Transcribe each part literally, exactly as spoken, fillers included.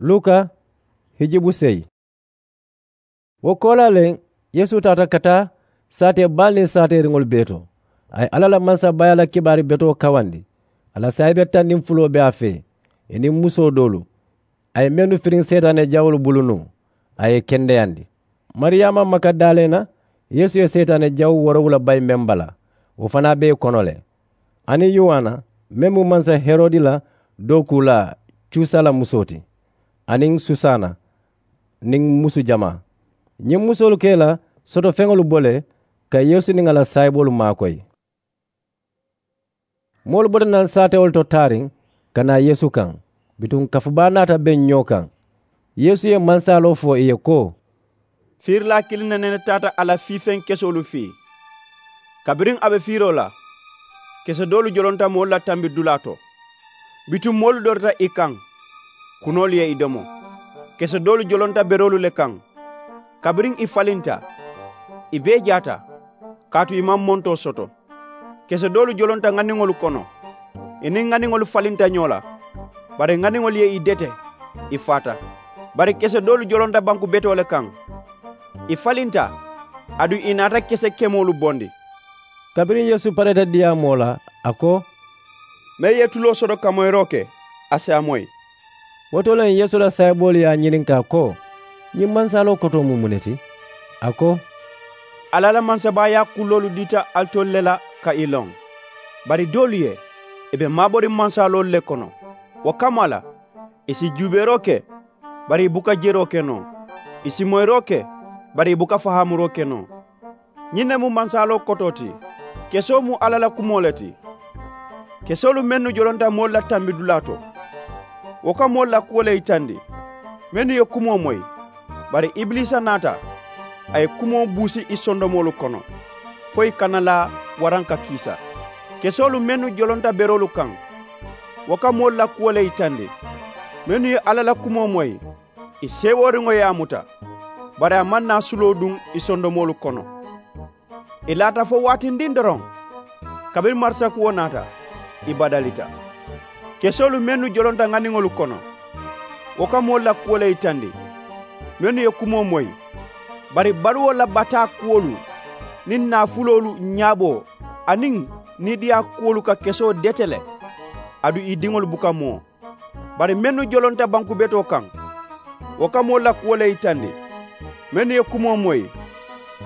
Luka hijibu seyi. Wo koolaa le, yeesu taata ka taa saatee baalu niŋ saateeriŋolu bee to. A ye alla la mansabaaya la kibaari betoo kawandi. A la saayibe taŋ niŋ fuloo be a fee, ì niŋ musoo doolu. A ye mennu firiŋ seetaane jawoolu bulu nuŋ, a ye ì kendeyandi. Mariyaama magadaleena, yeesu ye seetaane jawo woorowula bayi meŋ bala, wo fanaa be ì kono le. Aniŋ yowaana, meŋ mu mansa herodi la dookuulaa cuusa la musoo ti, aniŋ susaana, niŋ musu jamaa. Ñiŋ musoolu ka ì la sotofeŋolu bo le ka yeesu niŋ a la saayiboolu maakoyi. Moolu bota naŋ saatewolu to taariŋ ka naa yeesu kaŋ. Bituŋ kafu baa naata beŋ ñoo kaŋ. Yeesu ye mansaaloo fo ì ye ko, fiirilaa kiliŋ ne nene taata a la fiifeŋ kesoolu fii. Kabiriŋ a be fiiroo la, kese doolu jolonta moolu la tambidulaa to. Bituŋ moolu dorita ì kaŋ, kunoolu ye ì domo. Kese doolu jolonta beroolu le kaŋ. Kabiriŋ ì falinta, ì bee jaata, kaatu ì maŋ montoo soto. Kese doolu jolonta ŋaniŋolu kono, ì niŋ ŋaniŋolu falinta ñoo la. Bari ŋaniŋolu ye ì dete, ì faata. Bari kese doolu jolonta banku betoo le kaŋ. Ì falinta, aduŋ ì naata kese kemoolu bondi. Kabiriŋ yeesu pareeta diyaamoo la, a ko, meŋ ye tuloo soto ka moyiroo ke, a si a moyi. Wo to le yeesu la saayiboolu ye a ñininkaa ko, ñiŋ mansaaloo kotoo mu muŋ ne ti? A ko, alla la mansabaayaa kuloolu dita alitolu le la ka ì loŋ. Bari doolu ye, ì be maaboriŋ mansaaloolu le kono. Wo kammaa la, ì si juubeeroo ke, bari ì buka jeroo ke noo. Ì si moyiroo ke, bari ì buka fahaamuroo ke noo. Ñiŋ ne mu mansaaloo kotoo ti. Kesoo mu alla la kumoo le ti. Kesoolu mennu jolonta moolu la tambidulaa to, wo ka moolu la kuwo le yitandi, mennu ye kumoo moyi. Bari ibiliisa naata, a ye kumoo buusi ì sondomoolu kono, fo ì kana laa waraŋ ka kiisa. Kesoolu mennu jolonta beroolu kaŋ, wo ka moolu la kuwo le yitandi, mennu ye alla la kumoo moyi. Ì seewooriŋo ye a muta, bari a maŋ naa suloo duŋ ì sondomoolu kono. Ì laata fo waatindiŋ doroŋ, kabiriŋ marisakuwo naata, ì badalita. Kesoolu mennu jolonta ŋaniŋolu kono, wo ka moolu la kuwo le yitandi, mennu ye kumoo moyi. Bari baluwo la bataa kuwolu niŋ naafuloolu ñaaboo aniŋ niidiyaa kuwolu ka kesoo dete le, aduŋ ì diŋolu buka moo. Bari mennu jolonta banku betoo kaŋ, wo ka moolu la kuwo le yitandi, mennu ye kumoo moyi,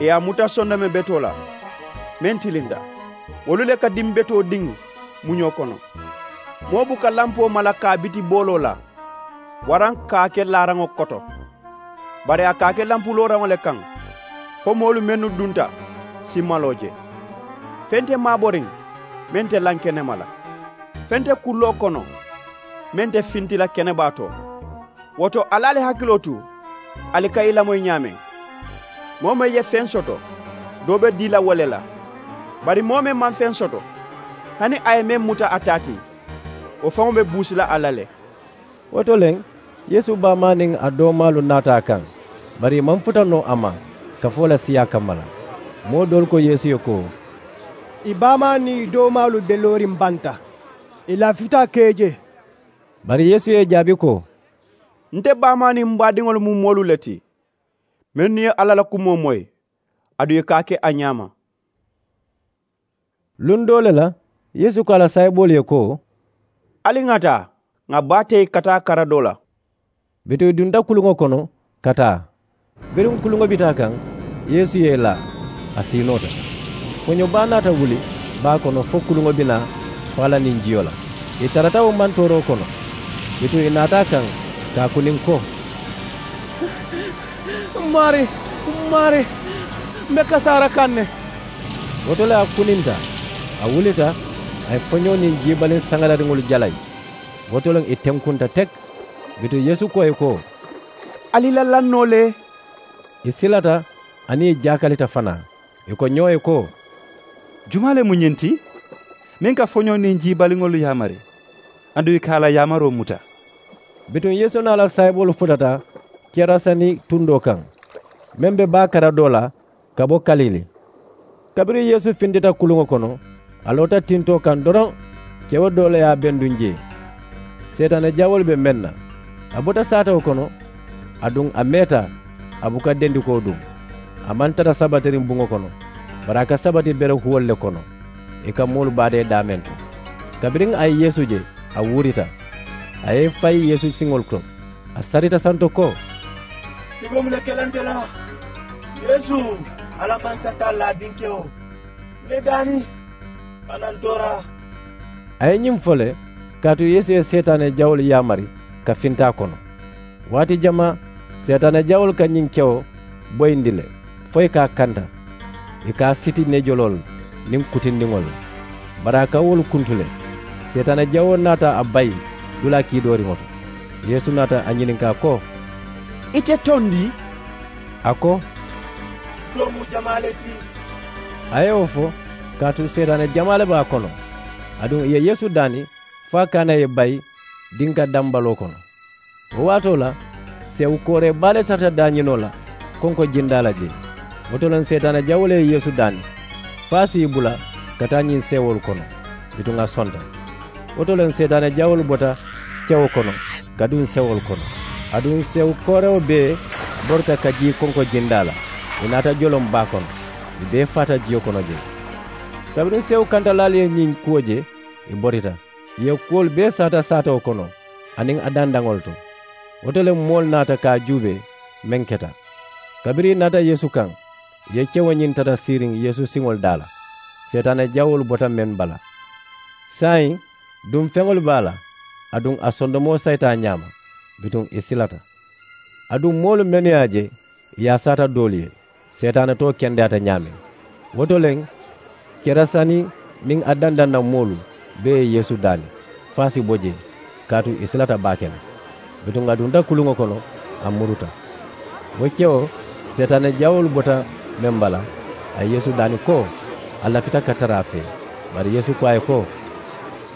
ì ye a muta sondome betoo la, meŋ tilinta. Wolu le ka diŋ betoo diŋ muñoo kono. Moo buka lampoo mala ka a biti booloo la, waraŋ ka a ke laaraŋo koto. Bari a ka a ke lampu looraŋo le kaŋ, fo moolu mennu dunta si maloo je. Feŋ te maaboriŋ meŋ te laŋ kenema la. Feŋ te kulloo kono meŋ te finti la kenebaa to. Wo to, ali ali hakiloo tu, ali ka ì lamoyi ñaameŋ. Moo meŋ ye feŋ soto, doo be dii la wo le la. Bari moo meŋ maŋ feŋ soto, hani a ye meŋ muta a taa ti, wo faŋo be buusi la a la le. Wo to le, yeesu baamaa niŋ a doomaalu naata a kaŋ, bari ì maŋ futa noo a ma kafoo la siyaa kamma la. Moo doolu ko yeesu ye ko, ì baamaa niŋ ì doomaalu be looriŋ banta, ì lafita ka ì je. Bari yeesu ye ì jaabi ko, nte baamaa niŋ m baadiŋolu mu moolu le ti, mennu ye alla la kumoo moyi, aduŋ ì ka a ke a ñaama. Luŋ doo le la, yeesu ko a la saayiboolu ye ko, ali ŋa taa, ŋa baa teyi ka taa kara doo la. Bituŋ ì dunta kuluŋo kono ka taa. Biriŋ kuluŋo bita a kaŋ, yeesu ye ì laa, a siinoota. Foño baa naata wuli baa kono fo kuluŋo bi naa faa la niŋ jiyo la. Ì tarata wo mantooroo kono. Bituŋ ì naata a kaŋ ka a kuniŋ ko, m maarii, m maarii, m be kasaara kaŋ ne. Wo to le a kuninta, a wulita, a ye foñoo niŋ jiibaliŋ saŋalariŋolu jalayi. Wo to le ì tenkunta teki. Bituŋ yeesu ko ì ko, ali la laŋ noo le? Ì silata, aniŋ ì jaakalita fanaa. Ì ko ñoo ye ko, jumaa le mu ñiŋ ti, meŋ ka foñoo niŋ jiibaliŋolu yaamari, aduŋ ì ka a la yaamaroo muta? Bituŋ yeesu niŋ a la saayiboolu futata keraseni tundoo kaŋ, meŋ be baa kara doo la ka bo kalili. Kabiriŋ yeesu fintita kuluŋo kono, a loota tintoo kaŋ doroŋ, kewo doo le ye a benduŋ jee. Seetaane jawoolu be meŋ na, A bota saatewo kono, aduŋ a meeta. A buka dendikoo duŋ. A maŋ tara sabatiriŋ buŋo kono, bari a ka sabati berehuwolu le kono, ì ka moolu baadee daameŋ to. Kabiriŋ a ye yeesu je, a wuurita. A ye i fayi yeesu siŋolu to. A sarita santo ko, i be muŋ ne ke la nte la? Yeesu, alla mansataalu la a dinkewo, ǹ be daani, kana n toora. A ye ñiŋ fo le, kaatu yeesu ye seetaane jawolu yaamari ka finta a kono. Waati jamaa seetaane jawolu ka ñiŋ kewo boyindi le, fo ì ka a kanta, ì ka a siti neejoloolu niŋ kutindiŋolu la. Bari a ka wolu kuntu le. Seetaane jawoo naata a bayi dulaa kiidooriŋo to. Yeesu naata a ñininkaa ko, ite tondi? A ko, too mu jamaa le ti. A ye wo fo, kaatu seetaane jamaa le be a kono. Aduŋ ì ye yeesu daani fo a kaana ye bayi dinka dambaloo kono. Wo waatoo la, seewu kooree baa le tarata daañinoo la konko jindaa la jee. Wo to le seetaane jawoolu ye yeesu daani fo a si i bula ka taa ñiŋ seewoolu kono. Bituŋ a sonta. Wo to le seetaane jawoolu bota kewo kono ka duŋ seewoolu kono. Aduŋ seewu koorewo bee borita ka jii konko jindaa la. Ì naata joloŋ baa kono, ì bee faata jiyo kono jee. Kabiriŋ seewu kantalaalu ye ñiŋ kuwo je, ì borita, ì ye kuwolu bee saata saatewo kono aniŋ a dandaŋolu to. Wo to le moolu naata ka a juubee meŋ keta. Kabiriŋ ì naata yeesu kaŋ, ì ye kewo ñiŋ tata siiriŋ yeesu siŋolu daa la. Seetaane jawoolu bota meŋ bala. Saayiŋ, duŋ feŋolu be a la, aduŋ a sondomoo sayita a ñaama. Bituŋ ì silata. Aduŋ moolu mennu ye a je, ì ye a saata doolu ye, seetaane too kendeyaata ñaameŋ. Wo to le, kerasani niŋ a dandaŋ na moolu bee ye yeesu daani fo a si bo jee, kaatu ì silata baake le. Bituŋ a dunta kuluŋo kono, a muruta. Wo kewo, seetaane jawoolu bota meŋ bala, a ye yeesu daani ko a lafita ka tara a fee. Bari yeesu ko a ye ko,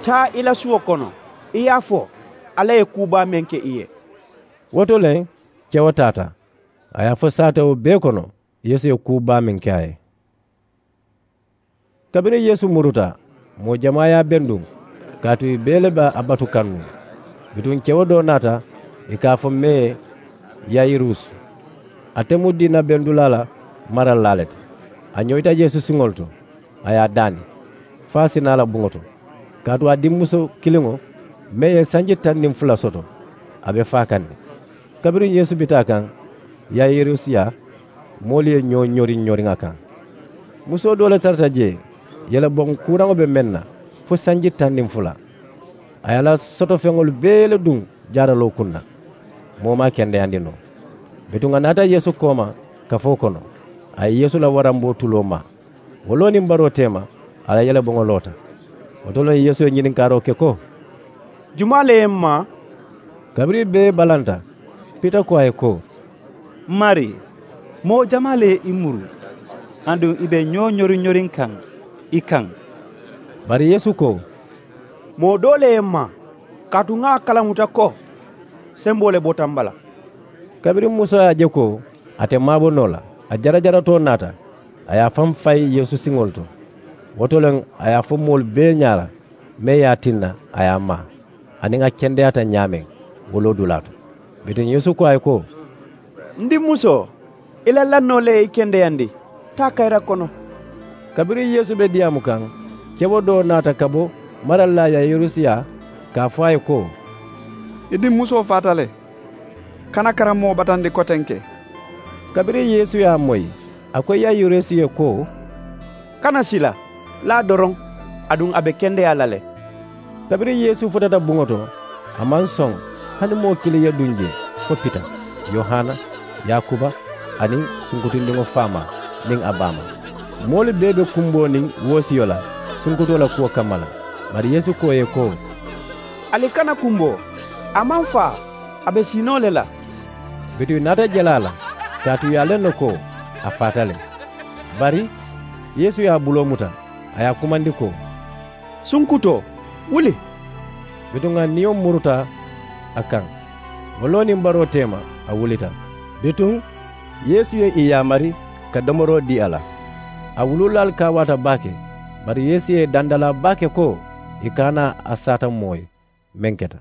taa i la suwo kono, i ye a fo alla ye kuu baa meŋ ke i ye. Wo to le, kewo taata, a ye a fo saatewo bee kono yeesu ye kuu baa meŋ ke a ye. Kabiriŋ yeesu muruta, moo jamaa ye a benduŋ, kaatu ì bee le be a batu kaŋ nuŋ. Bituŋ kewo doo naata, ì ka a fo mee yayirusu. Ate mu diina bendulaa la maralilaa le ti. A ñoyita yeesu siŋolu to, a ye a daani fo a si naa a la buŋo to. Kaatu a dimmuso kiliŋo mee ye sanji taŋ niŋ fula soto, a be faa kaŋ ne. Kabiriŋ yeesu bita a kaŋ, yayirusu yaa moolu ye ñoo ñoriŋ ñoriŋ a kaŋ. Musoo doo le tarata jee, yeleboŋ kuuraŋo be meŋ na fo sanji taŋ niŋ fula. A ye a la sotofeŋolu bee le duŋ jaaraloo kuŋ na. Moo maŋ a kendeyandi noo. Bituŋ a naata yeesu kooma kafoo kono, a ye yeesu la waramboo tuloo maa. Wo loo niŋ baroo teema, a la yeleboŋo loota. Wo to le yeesu ye ñininkaaroo ke ko, jumaa le ye m maa? Kabiriŋ ì bee balanta, pita ko a ye ko, m maarii, moo jamaa le ye i muru, aduŋ i be ñoo ñoriŋ ñoriŋ kaŋ i kaŋ. Bari yeesu ko, moo doo le ye m maa, kaatu ŋa a kalamuta ko semboo le bota m bala. Kabiriŋ musoo ye a je ko a te maabo noo la, a jarajaratoo naata, a ye a faŋ fayi yeesu siŋolu to. Wo to le a ye a fo moolu bee ñaa la mee ye a tinna a ye a maa, aniŋ a kendeyaata ñaameŋ woloodulaa to. Bituŋ yeesu ko a ye ko, n dimmusoo, i la lannoo le ye i kendeyandi. Taa kayira kono. Kabiriŋ yeesu be diyaamu kaŋ, kewo doo naata ka bo maralilaa yayirusu yaa, ka a fo a ye ko, i dimmusoo faata le. Kana karammoo batandi kotenke. Kabiriŋ yeesu ye a moyi, a ko yayirusu ye ko, kana sila, laa doroŋ, aduŋ a be kendeyaa la le. Kabiriŋ yeesu futata buŋo to, a maŋ soŋ hani moo kiliŋ ye duŋ jee fo pita, yohana, yaakuba, aniŋ sunkutundiŋo faamaa niŋ a baamaa. Moolu bee be kumboo niŋ woosiyo la sunkutoo la kuwo kamma la. Bari yeesu ko ì ye ko, ali kana kumboo. A maŋ faa, a be siinoo le la. Bituŋ ì naata jele a la, kaatu ì ye a loŋ ne ko a faata le. Bari yeesu ye a buloo muta, a ye a kumandi ko, sunkutoo, wuli. Bituŋ a niyo muruta a kaŋ. Wo loo niŋ baroo teema, a wulita. Bituŋ yeesu ye ì yaamari ka domoroo dii a la. A wuluulaalu kaawaata baake. Bari yeesu ye i dandalaa baake ko ì kana a saata moo ye meŋ keta.